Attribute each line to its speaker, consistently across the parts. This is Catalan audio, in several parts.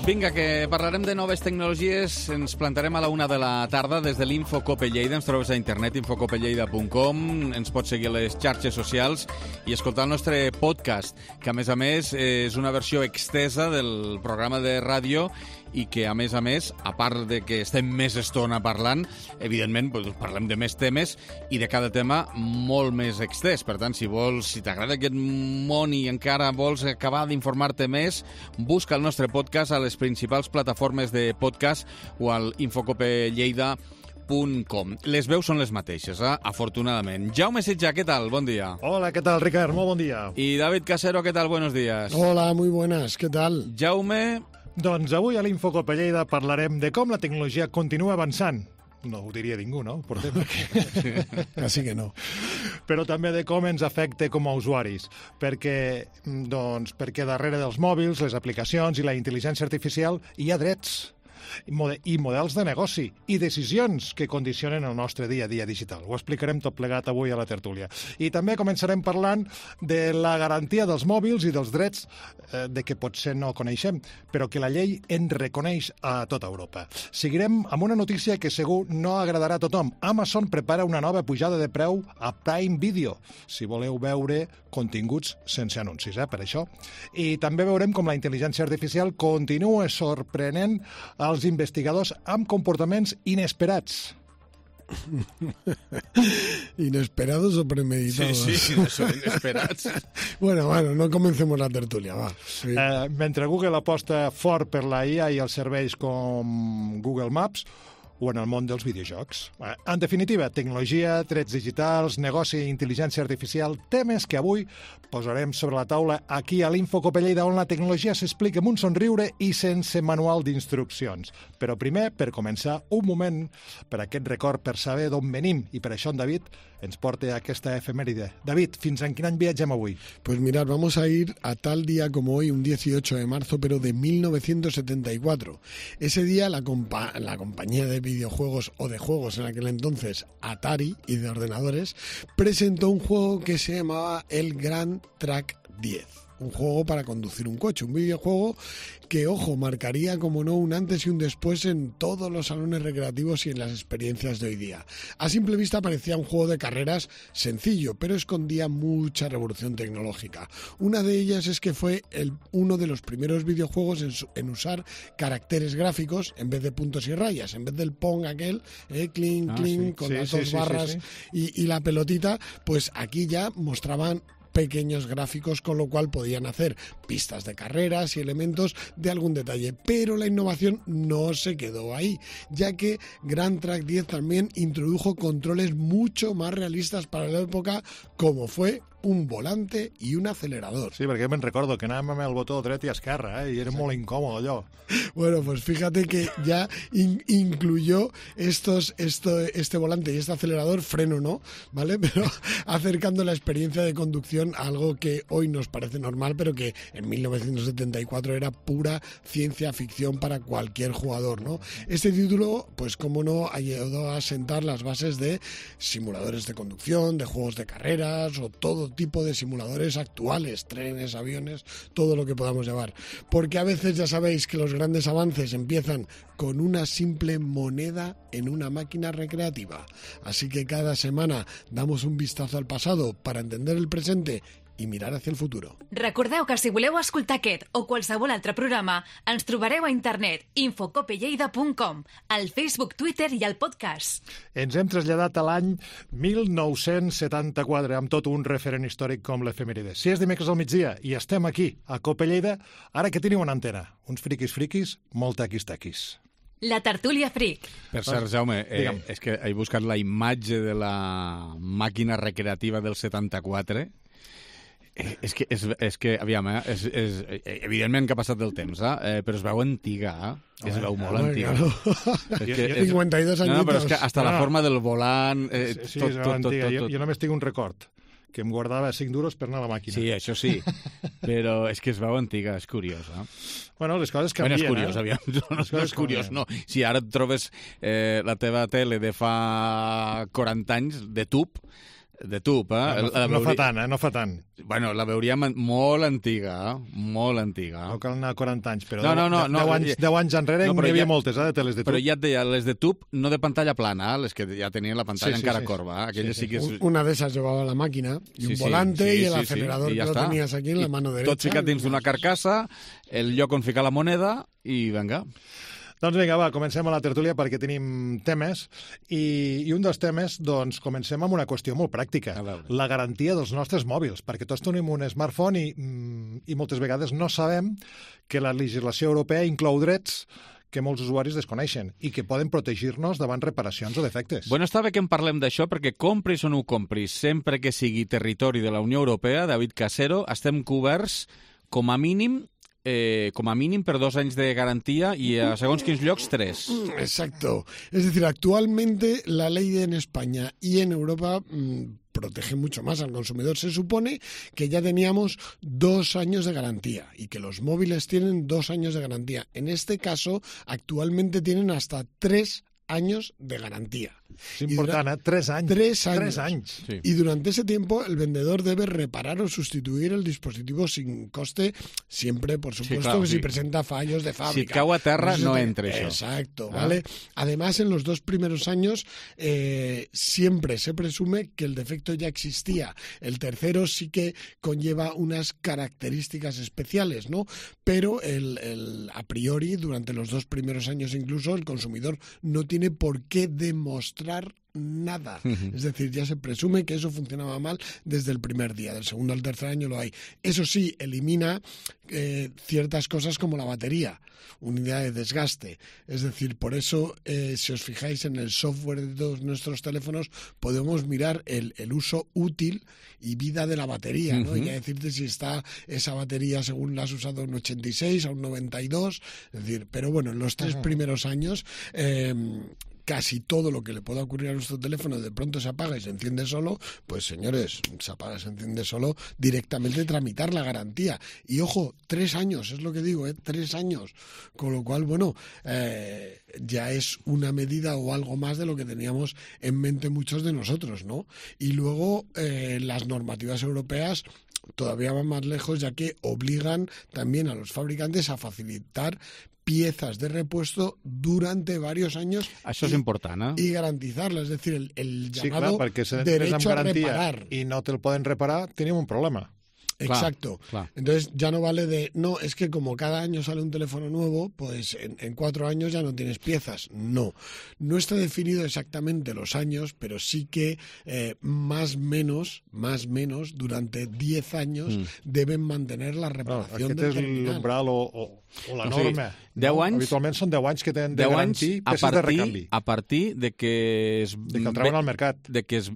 Speaker 1: Vinga, que parlarem de noves tecnologies. Ens plantarem a la 1 de la tarda des de l'Infocope Lleida. Ens trobes a internet, infocopelleida.com. Ens pots seguir a les xarxes socials i escoltar el nostre podcast, que a més, és una versió extesa del programa de ràdio i que, a més, a part de que estem més estona parlant, evidentment parlem de més temes i de cada tema molt més extès. Per tant, si t'agrada aquest món i encara vols acabar d'informar-te més, busca el nostre podcast a les principals plataformes de podcast o al infocopelleida.com. Les veus són les mateixes, afortunadament. Jaume Sitjà, què tal? Bon dia.
Speaker 2: Hola, ¿qué tal, Ricard? Muy buen día.
Speaker 1: Y David Casero, ¿qué tal? Buenos días.
Speaker 3: Hola, muy buenas. ¿Qué tal?
Speaker 1: Jaume...
Speaker 2: Doncs avui a l'Infocope Lleida parlarem de com la tecnologia continua avançant. No ho diria ningú, no? Portem aquí.
Speaker 3: Así que no.
Speaker 2: Però també de com ens afecta com a usuaris. Perquè darrere dels mòbils, les aplicacions i la intel·ligència artificial hi ha drets i models de negoci i decisions que condicionen el nostre dia a dia digital. Ho explicarem tot plegat avui a la tertúlia. I també començarem parlant de la garantia dels mòbils i dels drets de que potser no coneixem, però que la llei en reconeix a tota Europa. Seguirem amb una notícia que segur no agradarà a tothom. Amazon prepara una nova pujada de preu a Prime Video, si voleu veure continguts sense anuncis, per això. I també veurem com la intel·ligència artificial continua sorprenent els investigadors amb comportaments inesperats.
Speaker 3: ¿Inesperados o premeditados?
Speaker 1: Sí, son inesperats.
Speaker 3: Bueno, no comencemos la tertulia, va. Sí.
Speaker 2: Mentre Google aposta fort per la IA i els serveis com Google Maps, o en el món dels videojocs. En definitiva, tecnologia, drets digitals, negoci i intel·ligència artificial, temes que avui posarem sobre la taula aquí a l'Infocope Lleida, on la tecnologia s'explica amb un somriure i sense manual d'instruccions. Però primer, per començar, un moment per aquest record, per saber d'on venim, i per això en David ens porta aquesta efemèride. David, fins en quin any viatgem avui?
Speaker 3: Pues mirad, vamos a ir a tal día como hoy, un 18 de marzo, pero de 1974. Ese día la compañía de videojuegos o de juegos en aquel entonces, Atari, y de ordenadores, presentó un juego que se llamaba el Grand Track 10. Un juego para conducir un coche, un videojuego que, ojo, marcaría, como no, un antes y un después en todos los salones recreativos y en las experiencias de hoy día. A simple vista parecía un juego de carreras sencillo, pero escondía mucha revolución tecnológica. Una de ellas es que fue uno de los primeros videojuegos en usar caracteres gráficos en vez de puntos y rayas, en vez del Pong aquel, clink, clink, con las dos barras. Y la pelotita, pues aquí ya mostraban pequeños gráficos, con lo cual podían hacer pistas de carreras y elementos de algún detalle. Pero la innovación no se quedó ahí, ya que Grand Track 10 también introdujo controles mucho más realistas para la época, como fue un volante y un acelerador.
Speaker 2: Sí, perquè me'n recordo que anàvem amb el botó dret i esquerra, i era molt incòmode allò.
Speaker 3: Bueno, pues fíjate que ya incluyó este volante y este acelerador, freno no, ¿vale? Pero acercando la experiencia de conducción a algo que hoy nos parece normal, pero que en 1974 era pura ciencia ficción para cualquier jugador, ¿no? Este título, pues como no, ayudó a sentar las bases de simuladores de conducción, de juegos de carreras o todo tipo de simuladores actuales, trenes, aviones, todo lo que podamos llevar. Porque a veces ya sabéis que los grandes avances empiezan con una simple moneda en una máquina recreativa. Así que cada semana damos un vistazo al pasado para entender el presente i mirar hacia el futuro.
Speaker 4: Recordeu que si voleu escoltar aquest o qualsevol altre programa, ens trobareu a internet infocopelleida.com, al Facebook, Twitter i al podcast.
Speaker 2: Ens hem traslladat a l'any 1974 amb tot un referent històric com l'efemèride. Si és dimecres al migdia i estem aquí, a Cope Lleida, ara que teniu una antena, uns friquis, molt taquis.
Speaker 4: La tertúlia fric.
Speaker 1: Per cert, Jaume, és que he buscat la imatge de la màquina recreativa del 74. És que aviam, evidentment que ha passat del temps, però es veu antiga, es veu molt antiga.
Speaker 3: 52 añitos.
Speaker 1: No, però és que hasta la forma del volant...
Speaker 2: Sí, es veu antiga. Jo només tinc un record, que em guardava 5 duros per anar a la màquina.
Speaker 1: Sí, això sí, però és que es veu antiga, és curiós,
Speaker 2: Bueno, les coses canvien,
Speaker 1: és curiós, aviam, no és curiós, no. Si ara et trobes la teva tele de fa 40 anys, de tub, De tub,
Speaker 2: No fa tant, no fa tant.
Speaker 1: Bueno, la veuríem molt antiga, molt antiga.
Speaker 2: No cal anar a 40 anys, però
Speaker 1: No,
Speaker 2: 10 anys enrere n'hi havia moltes, de teles de tub.
Speaker 1: Però ja et deia, les de tub, no de pantalla plana, les que ja tenien la pantalla encara corba. Aquelles sí que...
Speaker 3: Una de esas llevaba la máquina y un volante y el acelerador que lo tenías aquí en la mano derecha.
Speaker 1: Tot ficat dins d'una carcassa, el lloc on ficar la moneda i venga.
Speaker 2: Doncs vinga, va, comencem a la tertúlia perquè tenim temes i un dels temes, doncs, comencem amb una qüestió molt pràctica, la garantia dels nostres mòbils, perquè tots tenim un smartphone i moltes vegades no sabem que la legislació europea inclou drets que molts usuaris desconeixen i que poden protegir-nos davant reparacions o defectes.
Speaker 1: Bueno, està bé que en parlem d'això perquè compris o no ho compris, sempre que sigui territori de la Unió Europea, David Casero, estem coberts com a mínim per 2 anys de garantia y a segons quins llocs 3.
Speaker 3: Exacto. Es decir, actualmente la ley en España y en Europa protege mucho más al consumidor. Se supone que ya teníamos 2 años de garantía y que los móviles tienen 2 años de garantía. En este caso, actualmente tienen hasta 3 años de garantía.
Speaker 2: Es important, 3 anys.
Speaker 3: 3 anys.
Speaker 1: Sí.
Speaker 3: Y durante ese tiempo el vendedor debe reparar o sustituir el dispositivo sin coste, siempre, por supuesto, si presenta fallos de fábrica.
Speaker 1: Si et cau a terra, no entra això.
Speaker 3: Exacto, ¿vale? Además, en los 2 primeros años siempre se presume que el defecto ya existía. El tercero sí que conlleva unas características especiales, ¿no? Pero a priori, durante los 2 primeros años incluso, el consumidor no tiene por qué demostrar nada. Es decir, ya se presume que eso funcionaba mal desde el primer día. Del segundo al tercer año lo hay. Eso sí, elimina ciertas cosas como la batería, unidad de desgaste. Es decir, por eso, si os fijáis en el software de todos nuestros teléfonos, podemos mirar el uso útil y vida de la batería, ¿no? Y a decirte si está esa batería según la has usado un 86 a un 92. Es decir, pero bueno, en los 3 primeros años casi todo lo que le pueda ocurrir a nuestro teléfono de pronto se apaga y se enciende solo, pues señores, se apaga y se enciende solo, directamente tramitar la garantía. Y ojo, 3 años, es lo que digo, 3 años. Con lo cual, bueno, ya es una medida o algo más de lo que teníamos en mente muchos de nosotros, ¿no? Y luego las normativas europeas todavía van más lejos, ya que obligan también a los fabricantes a facilitar piezas de repuesto durante varios años.
Speaker 1: Això és important,
Speaker 3: y garantizarla, es decir, el
Speaker 2: sí,
Speaker 3: llamado
Speaker 2: clar, perquè si
Speaker 3: derecho a reparar.
Speaker 2: I no te'l poden reparar, tenim un problema.
Speaker 3: Exacto.
Speaker 1: Claro.
Speaker 3: Entonces ya no vale de, no, es que como cada año sale un teléfono nuevo, pues en 4 años ya no tienes piezas. No está definido exactamente los años, pero sí que más menos, durante 10 años deben mantener la reparación del terminal.
Speaker 2: Aquest és l'umbral o la norma.
Speaker 1: 10 anys,
Speaker 2: habitualment són 10 anys que tenen de garantir peces de recanvi.
Speaker 1: A partir de que
Speaker 2: de que el treuen al mercat.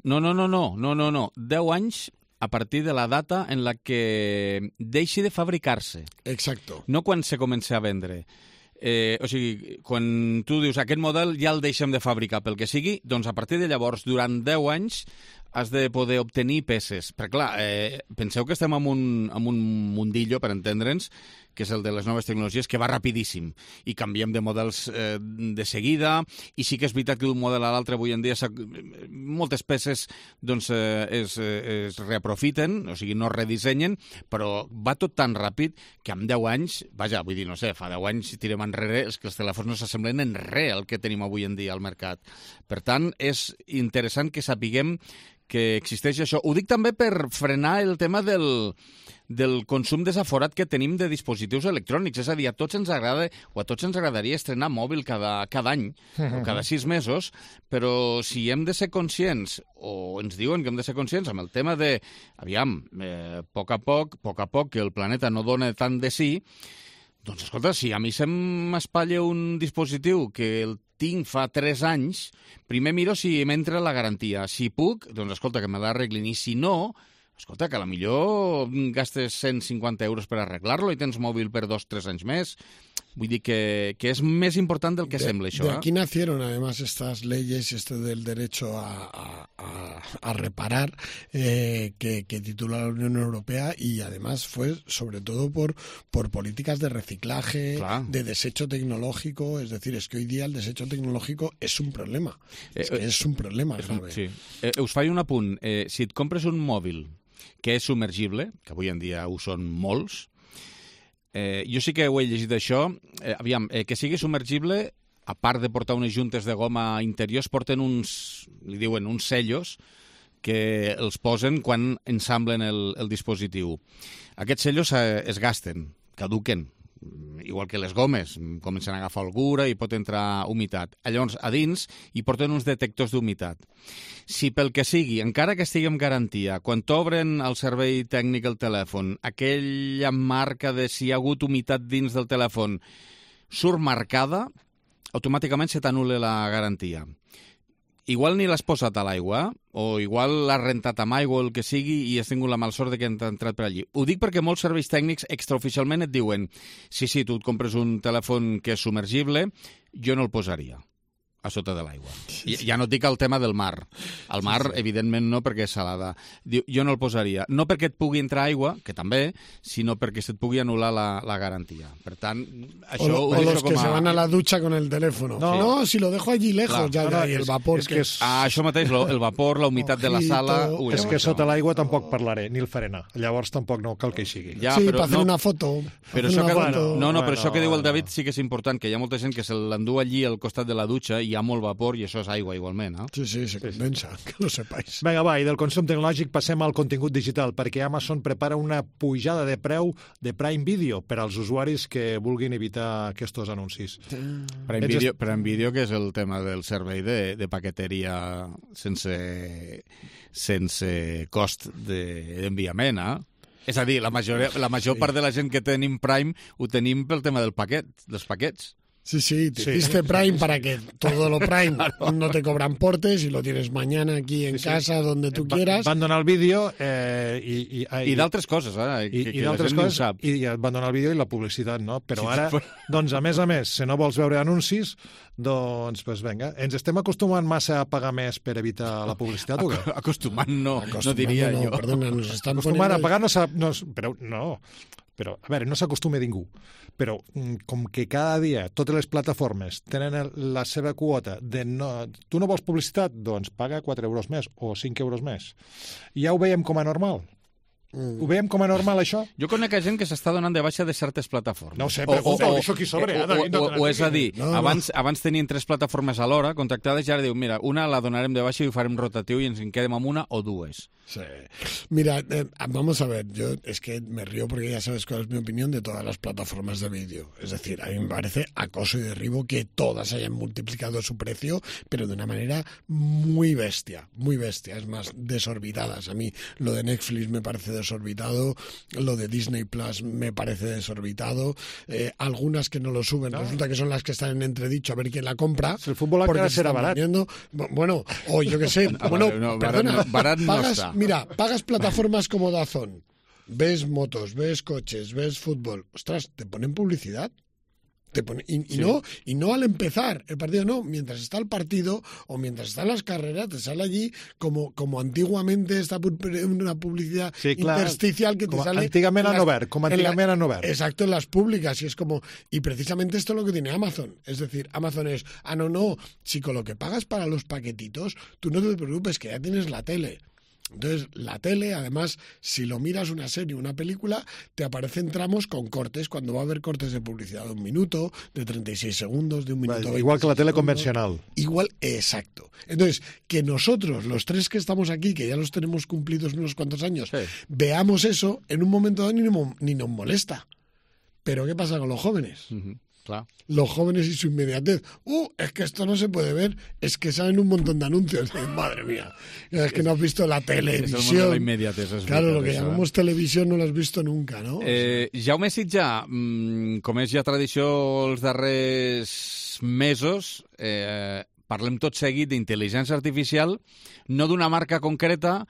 Speaker 1: No. 10 anys a partir de la data en la que deixi de fabricar-se.
Speaker 3: Exacto.
Speaker 1: No quan se comença a vendre. O sigui, quan tu dius aquest model ja el deixem de fabricar pel que sigui, doncs a partir de llavors, durant 10 anys, has de poder obtenir peces. Perquè, clar, penseu que estem en un mundillo, per entendre'ns, que és el de les noves tecnologies, que va rapidíssim i canviem de models de seguida, i sí que és veritat que d'un model a l'altre avui en dia moltes peces doncs, es reaprofiten, o sigui, no es redissenyen, però va tot tan ràpid que en 10 anys, vaja, vull dir, no sé, fa 10 anys, si tirem enrere, és que els telèfons no s'assemblen en res al que tenim avui en dia al mercat. Per tant, és interessant que sapiguem que existeix això. Ho dic també per frenar el tema del consum desaforat que tenim de dispositius electrònics. És a dir, a tots ens agrada, o a tots ens agradaria estrenar mòbil cada any, o cada 6 mesos, però si hem de ser conscients, o ens diuen que hem de ser conscients amb el tema de, aviam, a poc a poc, que el planeta no dona tant de sí, doncs, escolta, si a mi se'm espatlla un dispositiu que el tinc fa 3 anys, primer miro si m'entra la garantia. Si puc, doncs, escolta, que me l'arreglin. I si no, escolta, que a la millor gastes 150 euros per arreglar-lo i tens mòbil per 2 o 3 anys més. Vull dir que és més important del que sembla, això.
Speaker 3: De aquí nacieron, además, estas leyes, del derecho a reparar, que titula la Unión Europea, y además fue sobre todo por políticas de reciclaje, de desecho tecnológico. Es decir, es que hoy día el desecho tecnológico es un problema. Es un problema grave.
Speaker 1: Sí. Us faig un apunt. Si et compres un mòbil que és submergible, que avui en dia ho són molts, jo sí que ho he llegit això. Aviam, que sigui submergible, a part de portar unes juntes de goma interiors, porten li diuen uns sellos que els posen quan ensamblen el dispositiu. Aquests sellos es gasten, caduquen, igual que les gomes, comencen a agafar algura i pot entrar humitat. Llavors, a dins hi porten uns detectors d'humitat. Si pel que sigui, encara que estigui amb garantia, quan t'obren el servei tècnic el telèfon, aquella marca de si hi ha hagut humitat dins del telèfon surt marcada, automàticament se t'anul·la la garantia. Igual ni l'has posat a l'aigua, o igual l'has rentat amb aigua o el que sigui i has tingut la malsort de que han entrat per allí. Ho dic perquè molts serveis tècnics extraoficialment et diuen sí, tu et compres un telèfon que és submergible, jo no el posaria a sota de l'aigua. Ja no et dic el tema del mar. Al mar, evidentment, no, perquè és salada. Jo no el posaria. No perquè et pugui entrar aigua, que també, sinó perquè se't pugui anul·lar la garantia. Per tant, això
Speaker 3: o los que se van a la ducha con el teléfono. No, si lo dejo allí lejos,
Speaker 2: Clar,
Speaker 3: y el vapor...
Speaker 1: això mateix, el vapor, la humitat de la sala...
Speaker 2: És que sota l'aigua tampoc parlaré, ni el faré anar. Llavors tampoc no cal que hi sigui.
Speaker 3: Sí, per fer una foto.
Speaker 1: Però això que diu el David sí que és important, que hi ha molta gent que se l'endú allí al costat de la dutxa i hi ha molt vapor i això és aigua igualment, eh?
Speaker 3: Sí, se condensa, que lo sepáis.
Speaker 2: Vinga, va, i del consum tecnològic passem al contingut digital, perquè Amazon prepara una pujada de preu de Prime Video per als usuaris que vulguin evitar aquests anuncis.
Speaker 1: Prime Video, que és el tema del servei de paqueteria sense cost d'enviament, eh? És a dir, la major part de la gent que tenim Prime ho tenim pel tema dels paquets.
Speaker 3: Sí, te hiciste Prime para que todo lo Prime no te cobran portes y lo tienes mañana aquí en casa, donde tú quieras.
Speaker 2: Van donar el vídeo
Speaker 1: i d'altres coses,
Speaker 2: i d'altres coses, i van donar el vídeo i la publicitat, no? Però ara, doncs, a més, si no vols veure anuncis, doncs, vinga, ens estem acostumant massa a pagar més per evitar la publicitat, o què?
Speaker 1: Acostumant no diria jo.
Speaker 3: Perdona, nos están
Speaker 2: acostumant a pagar però, a veure, no s'acostuma ningú, però com que cada dia totes les plataformes tenen la seva quota de tu no vols publicitat? Doncs paga 4 euros més o 5 euros més. Ja ho veiem com a normal. Ho veiem com a normal, això?
Speaker 1: Jo conec gent que s'està donant de baixa de certes plataformes.
Speaker 2: No ho sé, però això qui sobre.
Speaker 1: O és a dir, abans tenien 3 plataformes a l'hora contractades i ara diu, mira, una la donarem de baixa i ho farem rotatiu i ens en quedem amb una o dues.
Speaker 3: Sí. Mira, vamos a ver, yo es que me río porque ya sabes cuál es mi opinión de todas las plataformas de vídeo. Es decir, a mí me parece acoso y derribo que todas hayan multiplicado su precio, pero de una manera muy bestia, es más, desorbitadas. A mí lo de Netflix me parece desorbitado, lo de Disney Plus me parece desorbitado, algunas que no lo suben, resulta que son las que están en entredicho a ver quién la compra.
Speaker 2: El fútbol encara serà barat.
Speaker 3: Bueno, o yo qué sé, perdona,
Speaker 1: barat no está.
Speaker 3: Mira, pagas plataformas como DAZN, ves motos, ves coches, ves fútbol, ostras, te ponen publicidad. Y no al empezar el partido, no, mientras está el partido o mientras están las carreras, te sale allí como antiguamente una publicidad intersticial que te sale...
Speaker 2: Antigament a Novert,
Speaker 3: Exacto, en las públicas, y es como... Y precisamente esto es lo que tiene Amazon. Es decir, Amazon es, no, si con lo que pagas para los paquetitos, tú no te preocupes, que ya tienes la tele. Entonces, la tele, además, si lo miras una serie o una película, te aparecen tramos con cortes, cuando va a haber cortes de publicidad de 1 minuto, de 36 segundos, de 1 minuto...
Speaker 2: Igual que la tele convencional.
Speaker 3: Igual, exacto. Entonces, que nosotros, los 3 que estamos aquí, que ya los tenemos cumplidos unos cuantos años, veamos eso, en un momento dado ni nos molesta. Pero ¿qué pasa con los jóvenes?
Speaker 1: Claro.
Speaker 3: Los jóvenes y su inmediatez. Es que esto no se puede ver. Es que salen un montón de anuncios. Madre mía. Es que no has visto la televisión.
Speaker 1: És el món de la immediatez.
Speaker 3: Claro, lo que llamamos televisión no lo has visto nunca, ¿no?
Speaker 1: Jaume Sitjà, com és ja tradició els darrers mesos, parlem tot seguit d'intel·ligència artificial, no d'una marca concreta,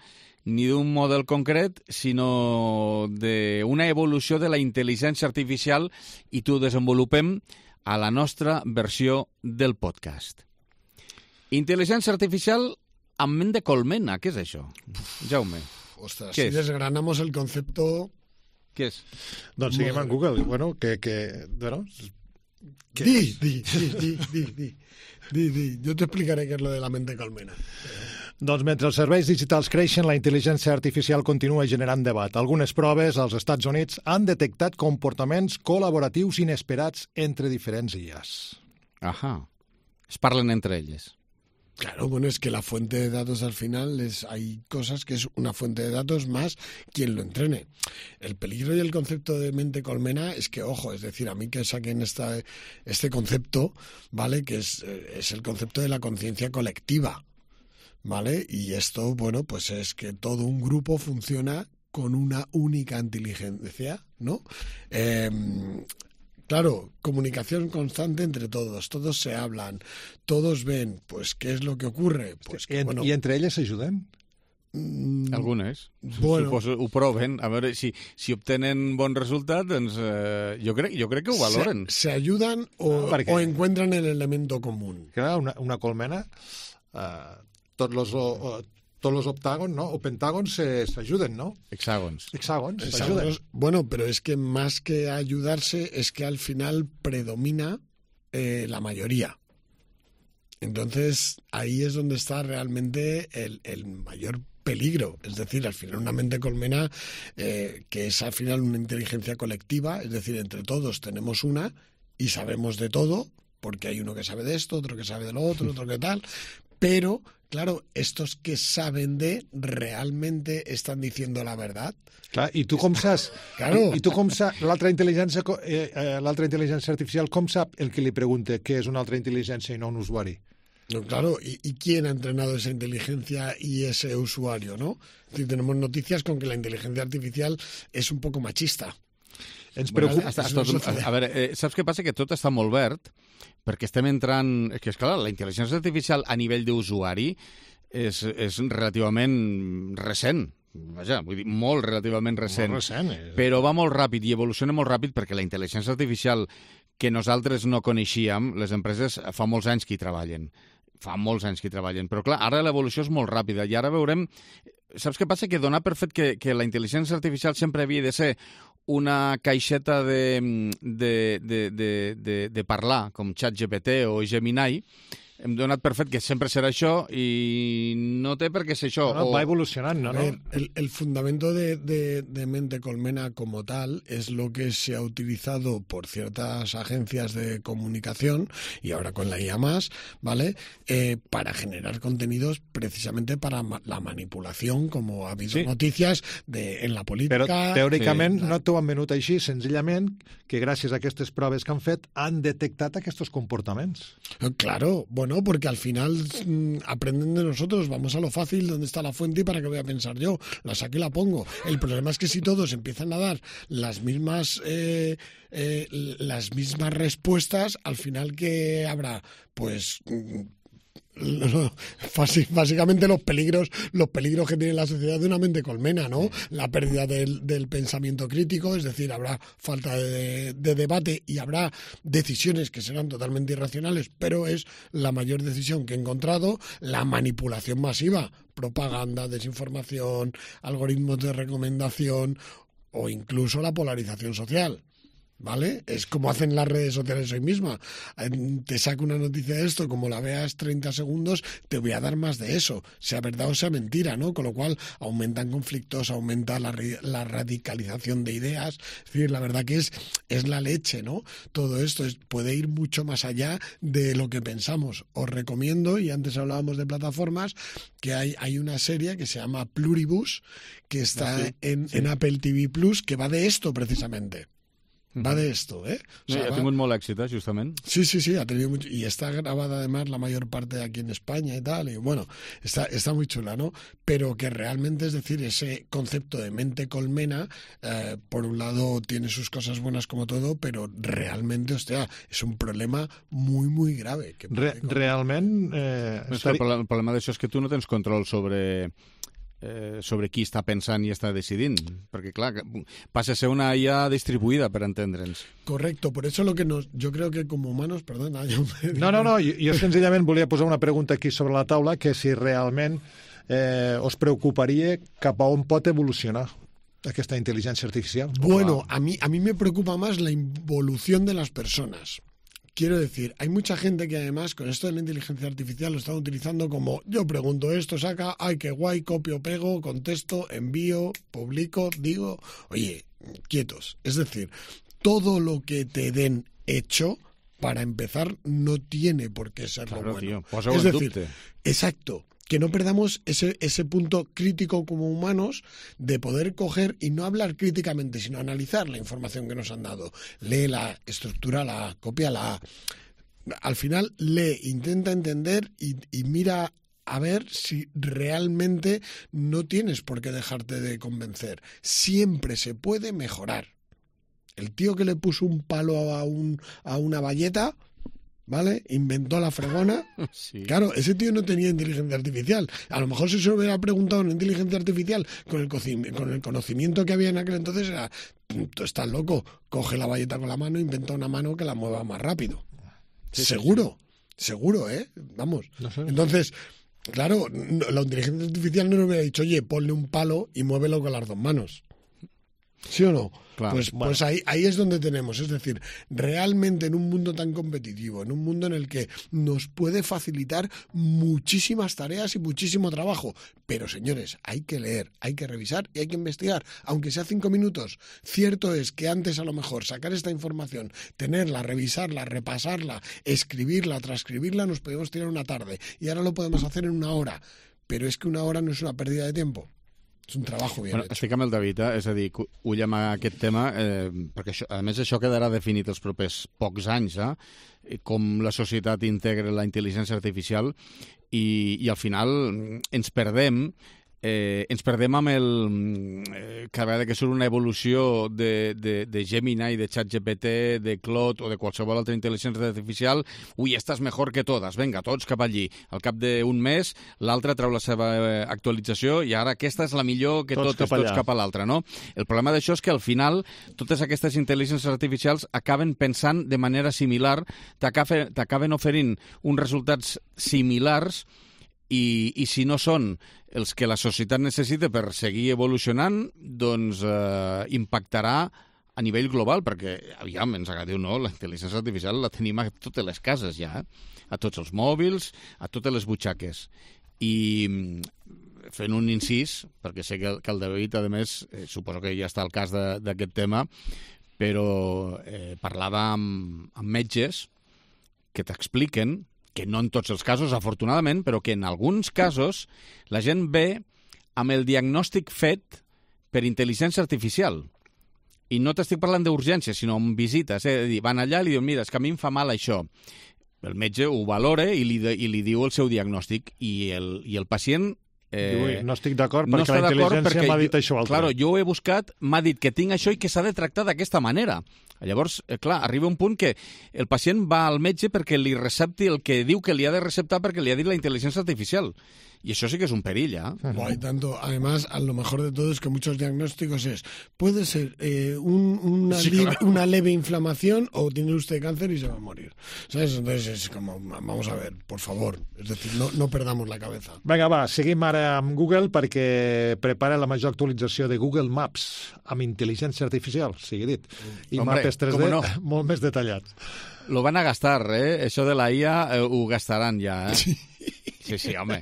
Speaker 1: ni d'un model concret, sinó d'una evolució de la intel·ligència artificial i t'ho desenvolupem a la nostra versió del podcast. Intel·ligència artificial amb ment de colmena, què és això? Jaume.
Speaker 3: Ostras,
Speaker 1: ¿Qué
Speaker 3: si
Speaker 1: es?
Speaker 3: desgranamos el concepto...
Speaker 1: Què és?
Speaker 2: Doncs seguim en Google. Bueno, bueno,
Speaker 3: Di. Yo te explicaré qué es lo de la mente colmena.
Speaker 2: Doncs mentre els serveis digitals creixen, la intel·ligència artificial continua generant debat. Algunes proves als Estats Units han detectat comportaments col·laboratius inesperats entre diferents IAs.
Speaker 1: Ahà. Es parlen entre elles.
Speaker 3: Claro, bueno, es que la fuente de datos al final hay cosas que es una fuente de datos más quien lo entrene. El peligro y el concepto de mente colmena es que, ojo, es decir, a mí que saquen este concepto, ¿vale? Que es el concepto de la conciencia colectiva, ¿vale? Y esto, bueno, pues es que todo un grupo funciona con una única inteligencia, ¿no? Claro, comunicación constante entre todos se hablan, todos ven, pues, ¿qué es lo que ocurre? Pues que, bueno,
Speaker 2: I entre elles s'ajuden?
Speaker 1: Algunes.
Speaker 3: Bueno.
Speaker 1: Suposo, ho proven. A veure, si obtenen bon resultat, doncs jo crec que ho valoren.
Speaker 3: Se ayudan o encuentran el elemento común.
Speaker 2: Clar, una colmena, tots los octàgons, ¿no? O pentàgons s'ajuden, ¿no?
Speaker 1: Hexàgons.
Speaker 2: S'ajuden.
Speaker 3: Bueno, pero es que más que ayudarse, es que al final predomina la mayoría. Entonces, ahí es donde está realmente el mayor peligro. Es decir, al final una mente colmena, que es al final una inteligencia colectiva, es decir, entre todos tenemos una y sabemos de todo, porque hay uno que sabe de esto, otro que sabe de lo otro, otro que tal, pero... Claro, estos que saben realmente están diciendo la verdad.
Speaker 2: Clar, i tu com saps?
Speaker 3: Claro.
Speaker 2: I tu com saps? L'altra intel·ligència artificial com sap el que li pregunta què és una altra intel·ligència i no un usuari?
Speaker 3: No, claro, ¿y quién ha entrenado esa inteligencia y ese usuario, no? Es decir, tenemos noticias con que la inteligencia artificial es un poco machista.
Speaker 2: Ens preocupa...
Speaker 1: A veure, saps què passa? Que tot està molt verd, perquè estem entrant... Que és clar, la intel·ligència artificial a nivell d'usuari és relativament recent. Vaja, vull dir, molt relativament recent.
Speaker 2: Molt recent.
Speaker 1: Però va molt ràpid i evoluciona molt ràpid perquè la intel·ligència artificial que nosaltres no coneixíem, les empreses fa molts anys que hi treballen. Però clar, ara l'evolució és molt ràpida i ara veurem... Saps què passa? Que donar per fet que la intel·ligència artificial sempre havia de ser una caixeta de parlar, com ChatGPT o Gemini, hem donat per fet que sempre serà això i no té per què ser això.
Speaker 2: No, va evolucionant, ¿no?
Speaker 3: El fundamento de mente colmena como tal es lo que se ha utilizado por ciertas agencias de comunicación y ahora con la IA+, ¿vale? Para generar contenidos precisamente para la manipulación, como ha habido noticias en la política...
Speaker 2: Però teòricament no t'ho han venut així, senzillament que gràcies a aquestes proves que han fet han detectat aquests comportaments.
Speaker 3: Claro, bueno, porque al final aprenden de nosotros, vamos a lo fácil, ¿dónde está la fuente y para qué voy a pensar yo? La saco y la pongo. El problema es que si todos empiezan a dar las mismas respuestas, al final ¿qué habrá? Pues... básicamente los peligros que tiene la sociedad de una mente colmena, ¿no? La pérdida del pensamiento crítico, es decir, habrá falta de debate y habrá decisiones que serán totalmente irracionales, pero es la mayor decisión que he encontrado, la manipulación masiva, propaganda, desinformación, algoritmos de recomendación o incluso la polarización social. ¿Vale? Es como hacen las redes sociales hoy misma. Te saco una noticia de esto, como la veas 30 segundos, te voy a dar más de eso, sea verdad o sea mentira, ¿no? Con lo cual aumentan conflictos, aumenta la radicalización de ideas. Es decir, la verdad que es la leche, ¿no? Todo esto puede ir mucho más allá de lo que pensamos. Os recomiendo, y antes hablábamos de plataformas, que hay una serie que se llama Pluribus, que está en Apple TV Plus, que va de esto precisamente. Va de esto, ¿eh?
Speaker 1: O sea, ha tenido molt èxit, justament.
Speaker 3: Sí, ha tenido mucho. Y está grabada además la mayor parte aquí en España y tal. Y bueno, está muy chula, ¿no? Pero que realmente, es decir, ese concepto de mente colmena, por un lado tiene sus cosas buenas como todo, pero realmente, hostia, es un problema muy, muy grave. Que
Speaker 2: Realment...
Speaker 1: El problema d'això és que tu no tens control sobre sobre qui està pensant i està decidint, perquè clar, passa a ser una IA distribuïda, per entendre'ns.
Speaker 3: Correcto, por eso yo creo que como humanos, perdona...
Speaker 2: No, jo senzillament volia posar una pregunta aquí sobre la taula, que si realment os preocuparia cap a on pot evolucionar aquesta intel·ligència artificial.
Speaker 3: Bueno, a mí me preocupa más la involución de las personas. Quiero decir, hay mucha gente que además con esto de la inteligencia artificial lo están utilizando como yo pregunto esto, saca, ay, qué guay, copio, pego, contesto, envío, publico, digo, oye, quietos. Es decir, todo lo que te den hecho, para empezar, no tiene por qué ser lo bueno.
Speaker 1: Tío, posa-ho
Speaker 3: es
Speaker 1: en
Speaker 3: decir,
Speaker 1: dubte.
Speaker 3: Exacto. Que no perdamos ese punto crítico como humanos de poder coger y no hablar críticamente, sino analizar la información que nos han dado. Léela, estructúrala, cópiala. Al final lee, intenta entender y mira a ver si realmente no tienes por qué dejarte de convencer. Siempre se puede mejorar. El tío que le puso un palo a una bayeta... ¿Vale? Inventó la fregona. Sí. Claro, ese tío no tenía inteligencia artificial. A lo mejor si se lo hubiera preguntado a una inteligencia artificial con el conocimiento que había en aquel entonces era, tú estás loco, coge la bayeta con la mano, inventa una mano que la mueva más rápido. Sí, seguro, ¿eh? Vamos. No sé. Entonces, claro, la inteligencia artificial no le hubiera dicho, oye, ponle un palo y muévelo con las dos manos. ¿Sí o no?
Speaker 1: Claro,
Speaker 3: pues ahí es donde tenemos, es decir, realmente en un mundo tan competitivo, en un mundo en el que nos puede facilitar muchísimas tareas y muchísimo trabajo, pero señores, hay que leer, hay que revisar y hay que investigar, aunque sea 5 minutos. Cierto es que antes a lo mejor sacar esta información, tenerla, revisarla, repasarla, escribirla, transcribirla, nos podemos tirar una tarde y ahora lo podemos hacer en 1 hora, pero es que 1 hora no es una pérdida de tiempo. És un treball ben hecho.
Speaker 1: Estic amb el David, és a dir, ullem aquest tema, perquè això, a més això quedarà definit els propers pocs anys, com la societat integra la intel·ligència artificial i al final ens perdem amb el... cada vegada que surt una evolució de Gemini, de ChatGPT, de Claude o de qualsevol altra intel·ligència artificial, ui, estàs mejor que totes, vinga, tots cap allí. Al cap d'un mes, l'altre treu la seva actualització i ara aquesta és la millor que tots cap a l'altra, no? El problema d'això és que al final totes aquestes intel·ligències artificials acaben pensant de manera similar, t'acaben oferint uns resultats similars i si no són els que la societat necessita per seguir evolucionant, doncs impactarà a nivell global, perquè, aviam, ens agradi o no, la intel·ligència artificial la tenim a totes les cases ja, a tots els mòbils, a totes les butxaques. I fent un incís, perquè sé que el David, a més, suposo que ja està al cas d'aquest tema, però parlava amb metges que t'expliquen que no en tots els casos, afortunadament, però que en alguns casos la gent ve amb el diagnòstic fet per intel·ligència artificial. I no t'estic parlant d'urgències, sinó amb visites. És a dir, van allà i li diuen, mira, és que a mi em fa mal això. El metge ho valora i li diu el seu diagnòstic. I el pacient...
Speaker 2: no estic d'acord perquè la intel·ligència m'ha dit això altre.
Speaker 1: Claro, jo ho he buscat, m'ha dit que tinc això i que s'ha de tractar d'aquesta manera. Llavors, clar, arriba un punt que el pacient va al metge perquè li recepti el que diu que li ha de receptar perquè li ha dit la intel·ligència artificial. Y eso sí que es un perilla.
Speaker 3: Hay tanto, además, a lo mejor de todo es que muchos diagnósticos puede ser una leve inflamación o tiene usted cáncer y se va a morir. ¿Sabes? Entonces es como, vamos a ver, por favor, es decir, no perdamos la cabeza.
Speaker 2: Vinga, va, seguim ara amb Google perquè prepara la major actualització de Google Maps amb intel·ligència artificial, sigui dit. I mapes 3D molt més detallats.
Speaker 1: Lo van a gastar, Això de la IA ho gastaran ja,
Speaker 3: Sí.
Speaker 1: Sí, home.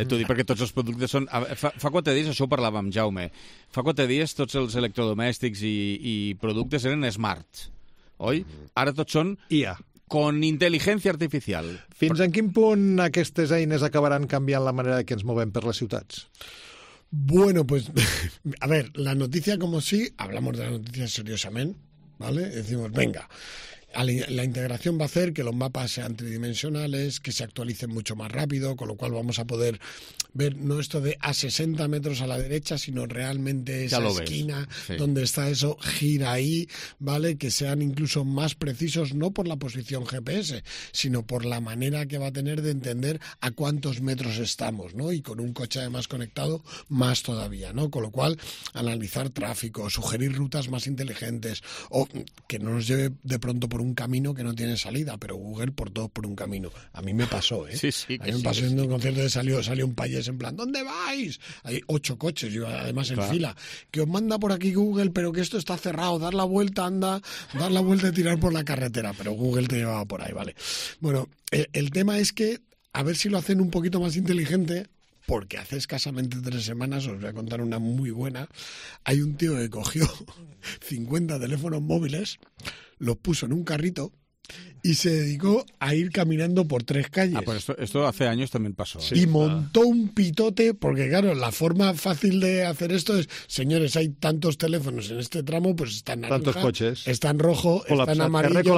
Speaker 1: T'ho dic perquè tots els productes són... Fa 4 dies, això ho parlàvem amb Jaume, fa 4 dies tots els electrodomèstics i productes eren smart, oi? Ara tots són
Speaker 2: IA.
Speaker 1: Con intel·ligència artificial.
Speaker 2: Fins en quin punt aquestes eines acabaran canviant la manera que ens movem per les ciutats?
Speaker 3: Bueno, pues, a ver, la noticia como sí, hablamos de la noticia seriosamente, ¿vale? Decimos, venga... La integración va a hacer que los mapas sean tridimensionales, que se actualicen mucho más rápido, con lo cual vamos a poder ver no esto de a 60 metros a la derecha, sino realmente esa esquina donde está eso, gira ahí, ¿vale? Que sean incluso más precisos, no por la posición GPS, sino por la manera que va a tener de entender a cuántos metros estamos, ¿no? Y con un coche además conectado, más todavía, ¿no? Con lo cual, analizar tráfico, sugerir rutas más inteligentes, o que no nos lleve de pronto por un camino que no tiene salida, pero Google por todos por un camino. A mí me pasó, ¿eh?
Speaker 1: Sí,
Speaker 3: a mí me pasó en un concierto de salió un payés en plan, ¿dónde vais? Hay 8 coches, yo además en fila, que os manda por aquí Google, pero que esto está cerrado, dar la vuelta, anda, dar la vuelta y tirar por la carretera, pero Google te llevaba por ahí, ¿vale? Bueno, el tema es que, a ver si lo hacen un poquito más inteligente, porque hace escasamente 3 semanas, os voy a contar una muy buena, hay un tío que cogió 50 teléfonos móviles, los puso en un carrito y se dedicó a ir caminando por 3 calles.
Speaker 1: Pues esto hace años también pasó.
Speaker 3: Y montó un pitote, porque claro, la forma fácil de hacer esto es, señores, hay tantos teléfonos en este tramo, pues está en naranja,
Speaker 2: tantos cotxes,
Speaker 3: està en rojo, està en amarillo,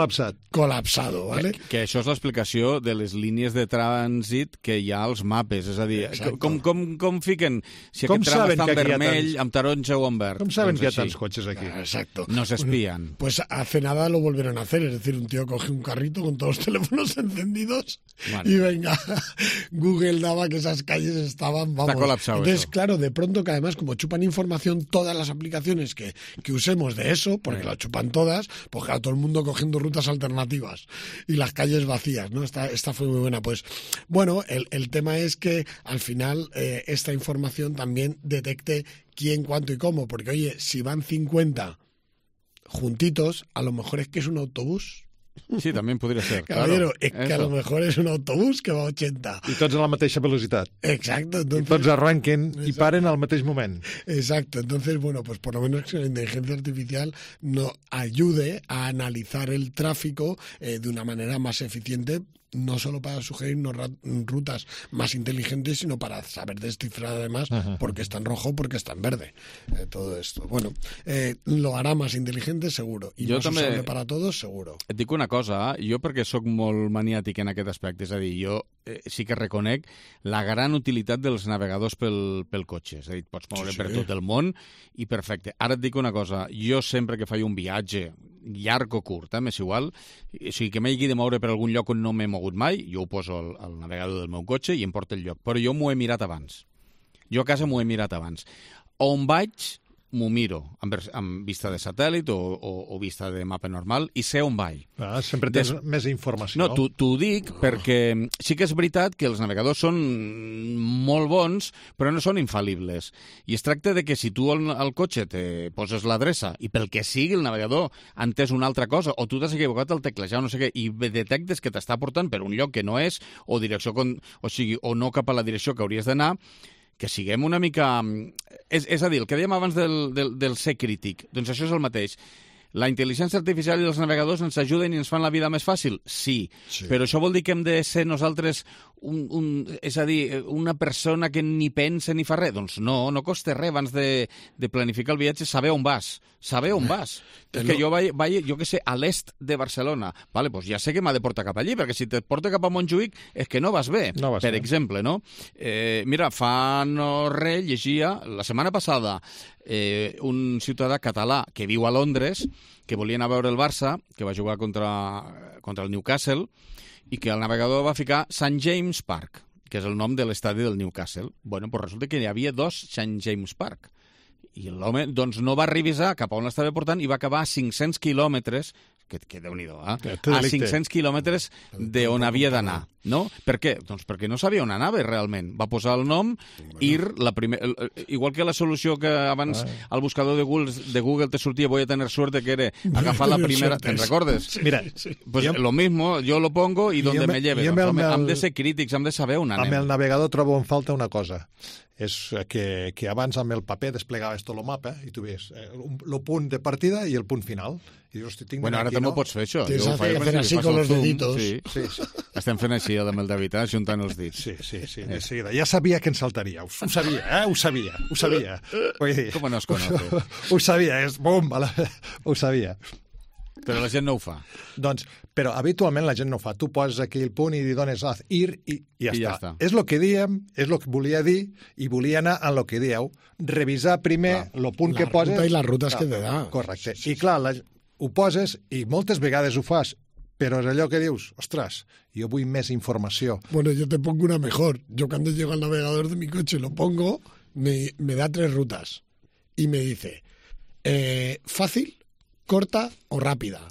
Speaker 3: col·lapsado, ¿vale?
Speaker 1: Que això és l'explicació de les línies de trànsit que hi ha als mapes, és a dir, com fiquen si aquest tram està en vermell, amb taronja o en verd?
Speaker 2: Com saben que hi ha tants cotxes aquí?
Speaker 3: Exacto.
Speaker 1: No s'espien.
Speaker 3: Pues hace nada lo volvieron a hacer, es decir, un tío coge un carrito con todos los teléfonos encendidos y venga, Google daba que esas calles estaban, vamos.
Speaker 1: Está colapsado.
Speaker 3: Entonces,
Speaker 1: eso.
Speaker 3: claro, de pronto que además como chupan información todas las aplicaciones que usemos de eso, porque la chupan todas, pues claro, todo el mundo cogiendo rutas alternativas y las calles vacías, ¿no? Esta fue muy buena. Pues bueno, el tema es que al final esta información también detecte quién, cuánto y cómo, porque oye, si van 50 juntitos, a lo mejor es que es un autobús.
Speaker 1: Sí, també podria ser.
Speaker 3: Caballero,
Speaker 1: claro.
Speaker 3: es que a lo mejor es un autobús que va a 80.
Speaker 2: I tots a la mateixa velocitat.
Speaker 3: Exacto. Entonces,
Speaker 2: I tots arranquen i paren al mateix moment.
Speaker 3: Exacto. Entonces, bueno, pues por lo menos que la inteligencia artificial nos ayude a analizar el tráfico de una manera más eficiente, no solo para sugerirnos rutas más inteligentes, sino para saber descifrar además por qué está en rojo o por qué está en verde. Todo esto. Bueno, lo hará más inteligente, seguro. I jo más també usable para todos, seguro.
Speaker 1: Et dic una cosa, jo perquè sóc molt maniàtic en aquest aspecte, és a dir, jo sí que reconec la gran utilitat dels navegadors pel cotxe. És a dir, pots moure per tot el món i perfecte. Ara et dic una cosa, jo sempre que faig un viatge llarg o curt, m'és igual, o sigui que m'hagi de moure per algun lloc on no m'he mogut mai, jo ho poso al navegador del meu cotxe i em porta el lloc, però jo m'ho he mirat abans. Jo a casa m'ho he mirat abans. On vaig, m'ho miro amb vista de satèl·lit o vista de mapa normal i sé on vaig.
Speaker 2: Sempre tens més informació.
Speaker 1: No, t'ho dic perquè sí que és veritat que els navegadors són molt bons, però no són infal·libles. I es tracta de que si tu al cotxe te poses l'adreça i pel que sigui el navegador ha entès una altra cosa o tu t'has equivocat al teclejar o no sé què i detectes que t'està portant per un lloc que no és o direcció, o sigui, o no cap a la direcció que hauries d'anar, que siguem una mica... És a dir, el que dèiem abans del ser crític, doncs això és el mateix. La intel·ligència artificial i els navegadors ens ajuden i ens fan la vida més fàcil? Sí. Però això vol dir que hem de ser nosaltres, és a dir, una persona que ni pensa ni fa res? Doncs no costa res abans de planificar el viatge, saber on vas. Saber on vas. És que jo vaig, jo què sé, a l'est de Barcelona. Vale, doncs ja sé que m'ha de portar cap allí, perquè si te porta cap a Montjuïc és que no vas bé, per exemple, no? Mira, fa no res llegia, la setmana passada, un ciutadà català que viu a Londres, que volia anar a veure el Barça, que va jugar contra el Newcastle, i que el navegador va ficar St. James Park, que és el nom de l'estadi del Newcastle. Bueno, doncs resulta que hi havia 2 St. James Park. I l'home doncs, no va revisar cap a on l'estava portant i va acabar a 500 quilòmetres, que Déu-n'hi-do, a 500 quilòmetres d'on havia d'anar. No? Per què? Doncs perquè no sabia on anava realment. Va posar el nom, igual que la solució que abans al buscador de Google te sortia voy a tener suerte, que era agafar la primera... ¿Te'n recordes?
Speaker 2: Mira,
Speaker 1: pues lo mismo, yo lo pongo y donde me lleve. Hem de ser crítics, hem de saber on anem.
Speaker 2: Amb el navegador trobo en falta una cosa. És que abans amb el paper desplegaves tot el mapa i tu veies el punt de partida i el punt final. I dius,
Speaker 1: bueno, ara també ho pots fer, això.
Speaker 3: Tens que fer així con los deditos.
Speaker 1: Sí. Estem fent així amb el David, ajuntant els dits.
Speaker 2: Sí, de seguida. Ja sabia que ens saltaria. Ho sabia. Ho sabia.
Speaker 1: Com no es conoce?
Speaker 2: Ho sabia, és bomba. Ho sabia.
Speaker 1: Però la gent no ho fa.
Speaker 2: Doncs, però habitualment la gent no ho fa. Tu poses aquí el punt i li dones ir i ja està. És el que diem, és el que volia dir i volia anar a lo que dieu. Revisar primer el punt que poses...
Speaker 3: La ruta i les rutes que te da.
Speaker 2: Correcte. I clar, ho poses i moltes vegades ho fas, pero es allò que dius, ostras, yo voy més informació.
Speaker 3: Bueno, yo te pongo una mejor. Yo cuando llego al navegador de mi coche lo pongo, me da 3 rutas y me dice fácil, corta o rápida.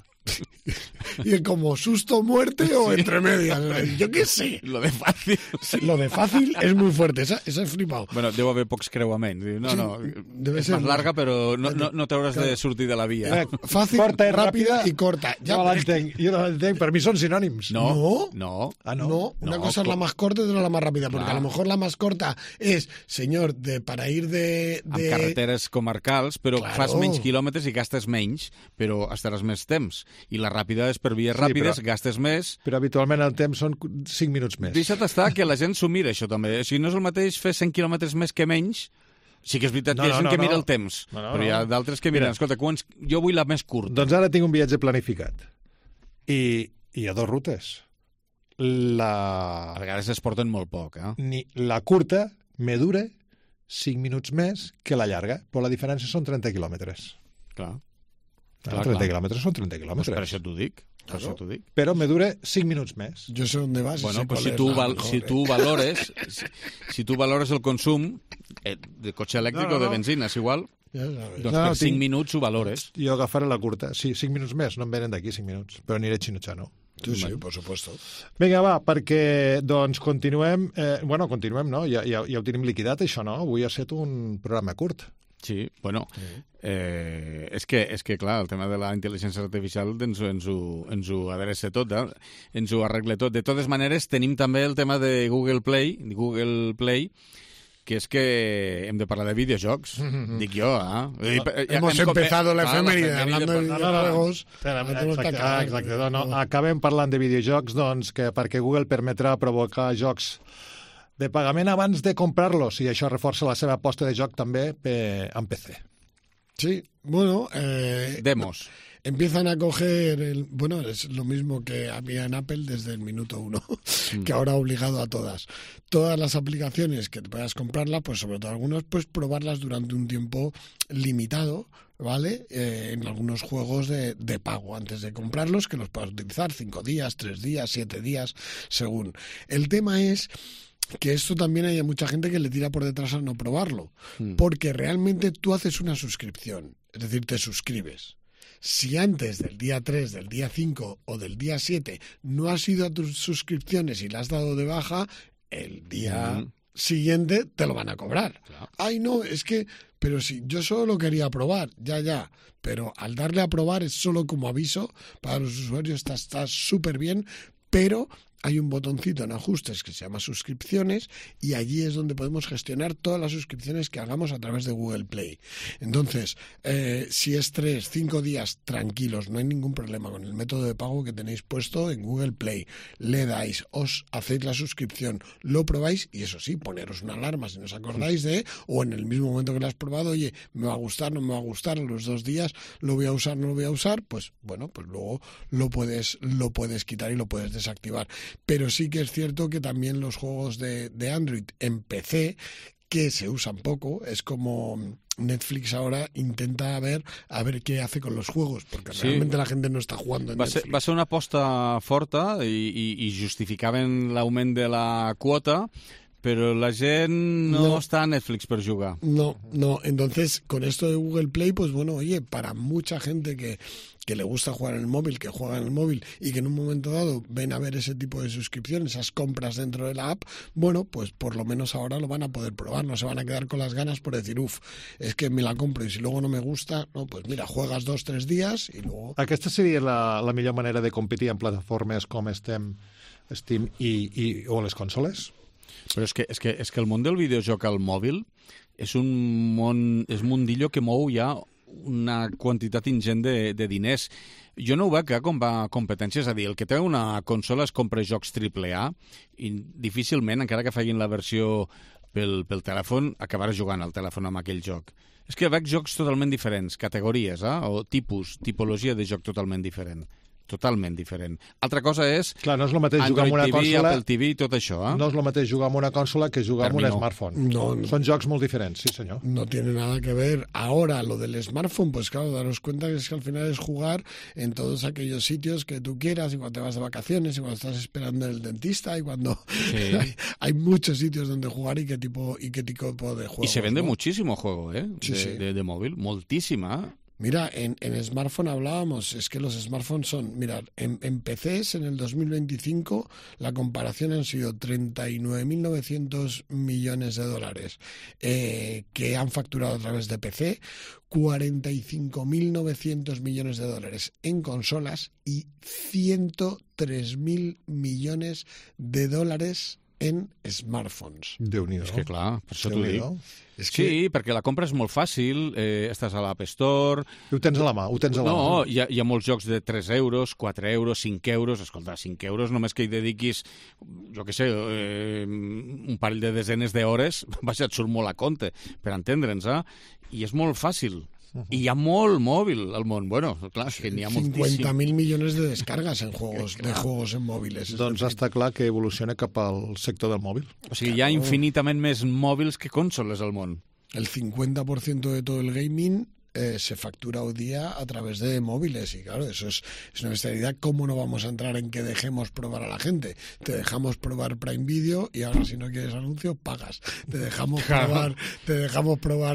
Speaker 3: Y es como susto, muerte o entre medias. Yo qué sé.
Speaker 1: Lo de fàcil.
Speaker 3: Lo de fácil es muy fuerte. Esa he flipado.
Speaker 1: Bueno, deu haver pocs creuaments. No, és
Speaker 3: ser
Speaker 1: més larga, però no t'hauràs de sortir de la via.
Speaker 3: Fàcil,
Speaker 2: corta i
Speaker 3: ràpida i corta.
Speaker 2: Jo no l'entenc. Per mi són sinònims.
Speaker 1: No.
Speaker 3: No, una cosa es la más corta y otra la más rápida, porque a lo mejor la más corta es, señor, para ir de...
Speaker 1: Amb carreteres comarcals, però fas menys quilòmetres i gastes menys, però estaràs més temps. I la ràpida és per vies ràpides, gastes més...
Speaker 2: Però habitualment el temps són 5 minuts més.
Speaker 1: Deixa't estar que la gent s'ho mira, això també. O sigui, no és el mateix fer 100 quilòmetres més que menys. Sí que és veritat que hi ha gent que mira el temps, però hi ha d'altres que miren. Escolta, jo vull la més curta.
Speaker 2: Doncs ara tinc un viatge planificat. I hi ha 2 rutes.
Speaker 1: A vegades es porten molt poc,
Speaker 2: La curta me dura 5 minuts més que la llarga, però la diferència són 30 quilòmetres.
Speaker 1: Clar.
Speaker 2: 30 quilòmetres són 30 quilòmetres.
Speaker 1: Pues per això t'ho dic.
Speaker 2: Però me dura 5 minuts més.
Speaker 3: Jo sé on vas.
Speaker 1: Bueno, pues si tu valores el consum de cotxe elèctric o de benzina, és igual, doncs per 5 minuts ho valores.
Speaker 2: Jo agafaré la curta. Sí, 5 minuts més, no em venen d'aquí 5 minuts, però aniré a Chino-Chano.
Speaker 3: Sí, por supuesto.
Speaker 2: Vinga, va, perquè doncs continuem, no? Ja ho tenim liquidat, això, no? Avui ha estat un programa curt.
Speaker 1: Sí, bueno, és que clar, el tema de la intel·ligència artificial ens ho adreça tot, ens ho arregla tot. De totes maneres, tenim també el tema de Google Play, que és que hem de parlar de videojocs, dic jo,
Speaker 3: Hemos empezado la efeméride hablando de videojuegos.
Speaker 2: Exacte. Acabem parlant de videojocs, doncs, perquè Google permetrà provocar jocs de pagament abans de comprar-los, i això reforça la seva aposta de joc també en PC.
Speaker 3: Sí, bueno...
Speaker 1: Demos.
Speaker 3: Empiezan a coger, es lo mismo que había en Apple desde el minuto 1, que ahora ha obligado a todas las aplicaciones que te puedas comprarlas, pues sobre todo algunos, pues probarlas durante un tiempo limitado, ¿vale? En algunos juegos de pago antes de comprarlos, que los puedas utilizar 5 días, 3 días, 7 días, según. El tema es que esto también hay mucha gente que le tira por detrás al no probarlo, porque realmente tú haces una suscripción, es decir, te suscribes. Si antes del día 3, del día 5 o del día 7 no has ido a tus suscripciones y la has dado de baja, el día siguiente te lo van a cobrar. Claro. Ay, no, es que... Pero si yo solo quería probar, ya. Pero al darle a probar es solo como aviso para los usuarios, está súper bien, pero... Hay un botoncito en ajustes que se llama suscripciones y allí es donde podemos gestionar todas las suscripciones que hagamos a través de Google Play. Entonces, si es 3, 5 días tranquilos, no hay ningún problema con el método de pago que tenéis puesto en Google Play. Le dais, os hacéis la suscripción, lo probáis y eso sí, poneros una alarma si no os acordáis o en el mismo momento que lo has probado, oye, me va a gustar, no me va a gustar, en los 2 días lo voy a usar, no lo voy a usar, pues bueno, pues luego lo puedes quitar y lo puedes desactivar. Pero sí que es cierto que también los juegos de Android en PC, que se usan poco, es como Netflix ahora intenta ver qué hace con los juegos, porque realmente la gente no està jugando en Netflix.
Speaker 1: Va ser una aposta forta i justificaven l'augment de la quota, pero la gent no está a Netflix per jugar.
Speaker 3: No. Entonces, con esto de Google Play, pues bueno, oye, para mucha gente que le gusta jugar en el móvil, que juega en el móvil y que en un momento dado ven a ver ese tipo de suscripción, esas compras dentro de la app, bueno, pues por lo menos ahora lo van a poder probar, no se van a quedar con las ganas por decir, es que me la compro y si luego no me gusta, no, pues mira, juegas 2-3 días y luego...
Speaker 2: Aquesta seria la millor manera de competir en plataformes com Steam o les consoles?
Speaker 1: Però és que el món del videojoc al mòbil és un mundillo que mou ja una quantitat ingent de diners. Jo no ho veig com va a competència, és a dir, el que té una consola es compra jocs AAA i difícilment, encara que facin la versió pel telèfon, acabaràs jugant al telèfon amb aquell joc. És que veig jocs totalment diferents, categories, o tipologia de joc totalment diferent. Totalment diferent. Altra cosa és
Speaker 2: Clar, no és el mateix jugar amb una
Speaker 1: Android TV,
Speaker 2: consola...
Speaker 1: Apple TV i tot això.
Speaker 2: No és el mateix jugar amb una consola que jugar amb un smartphone.
Speaker 3: No.
Speaker 2: Son jocs muy diferentes, sí, señor.
Speaker 3: No tiene nada que ver. Ahora, lo del smartphone, pues claro, daros cuenta que es que al final es jugar en todos aquellos sitios que tú quieras, y cuando te vas de vacaciones, y cuando estás esperando en el dentista, y cuando
Speaker 1: Sí.
Speaker 3: hay muchos sitios donde jugar y qué tipo de juegos.
Speaker 1: Y se vende
Speaker 3: ¿no?
Speaker 1: muchísimo juego,
Speaker 3: Sí, sí.
Speaker 1: de móvil, moltísima.
Speaker 3: Mira, en smartphone hablábamos, es que los smartphones son, mirad, en PCs en el 2025 la comparación han sido 39.900 millones de dólares que han facturado a través de PC, 45.900 millones de dólares en consolas y 103.000 millones de dólares en smartphones.
Speaker 2: Déu-n'hi-do.
Speaker 1: És que clar, per això t'ho dic.
Speaker 2: Déu-n'hi-do.
Speaker 3: És que...
Speaker 1: Sí, perquè la compra és molt fàcil, estàs a l'App Store...
Speaker 2: I ho tens a la mà, ho tens a la mà.
Speaker 1: No, hi ha molts jocs de 3 euros, 4 euros, 5 euros... Escolta, 5 euros només que hi dediquis, jo què sé, un parell de desenes d'hores, vaja, et surt molt a compte, per entendre'ns, I és molt fàcil. I hi ha molt mòbil al món. Bueno, clar, és que n'hi ha moltíssim.
Speaker 3: 50.000 millones de descargas en juegos, de juegos en móviles.
Speaker 2: Doncs està clar que evoluciona cap al sector del mòbil.
Speaker 1: O sigui, hi ha infinitament més mòbils que consoles al món.
Speaker 3: El 50% de todo el gaming se factura hoy día a través de móviles y claro, eso es una bestialidad. ¿Cómo no vamos a entrar en que dejemos probar a la gente? Te dejamos probar Prime Video y ahora si no quieres anuncios, pagas. Te dejamos probar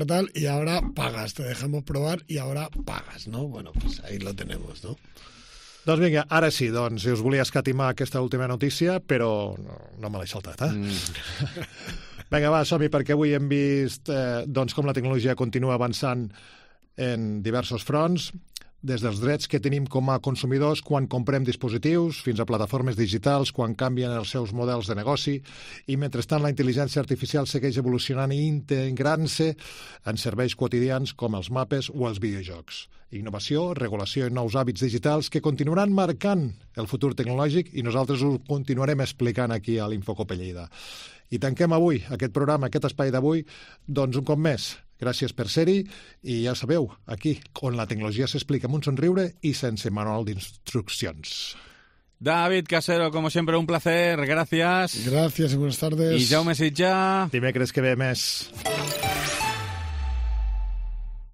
Speaker 3: tal y ahora pagas. Te dejamos probar y ahora pagas, ¿no? Bueno, pues ahí lo tenemos, ¿no?
Speaker 2: Doncs vinga, ara sí, doncs, si us volia escatimar aquesta última notícia, però no me l'he saltat, Vinga, va, som-hi, perquè avui hem vist doncs, com la tecnologia continua avançant en diversos fronts, des dels drets que tenim com a consumidors quan comprem dispositius, fins a plataformes digitals, quan canvien els seus models de negoci, i mentrestant la intel·ligència artificial segueix evolucionant i integrant-se en serveis quotidians com els mapes o els videojocs. Innovació, regulació i nous hàbits digitals que continuaran marcant el futur tecnològic i nosaltres ho continuarem explicant aquí a l'Infocope Lleida. I tanquem avui aquest programa, aquest espai d'avui, doncs un cop més. Gràcies per ser-hi i ja sabeu, aquí, on la tecnologia s'explica amb un somriure i sense manual d'instruccions.
Speaker 1: David Casero, como siempre, un placer. Gracias.
Speaker 3: Gracias y buenas tardes.
Speaker 1: I Jaume Sitjà.
Speaker 2: Dimecres que ve més.